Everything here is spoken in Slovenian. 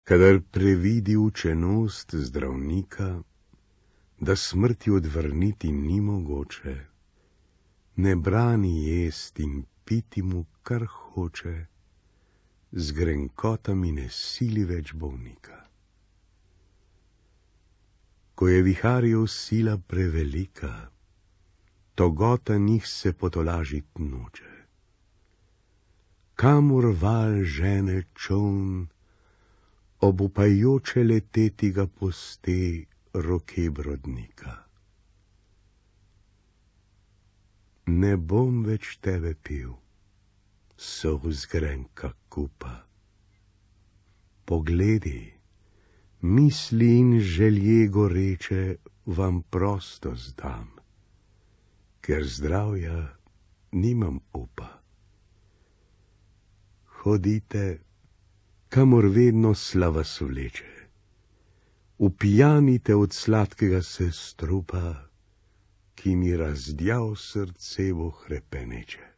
Kadar previdi učenost zdravnika, da smrti odvrniti ni mogoče, ne brani jest in piti mu, kar hoče, z grenkotami ne sili več bolnika. Ko je viharjev sila prevelika, togota njih se potolažit noče. Kamor val žene čoln, obupajoče leteti ga puste roke brodnika. Ne bom več tebe pil, solz grenka kupa. Pogledi, misli in želje goreče vam prosto zdam, ker zdravja nimam upa. Hodite, kamor vedno slava svleče, upijanite od sladkega se strupa, ki mi razdjav srce bo hrepeneče.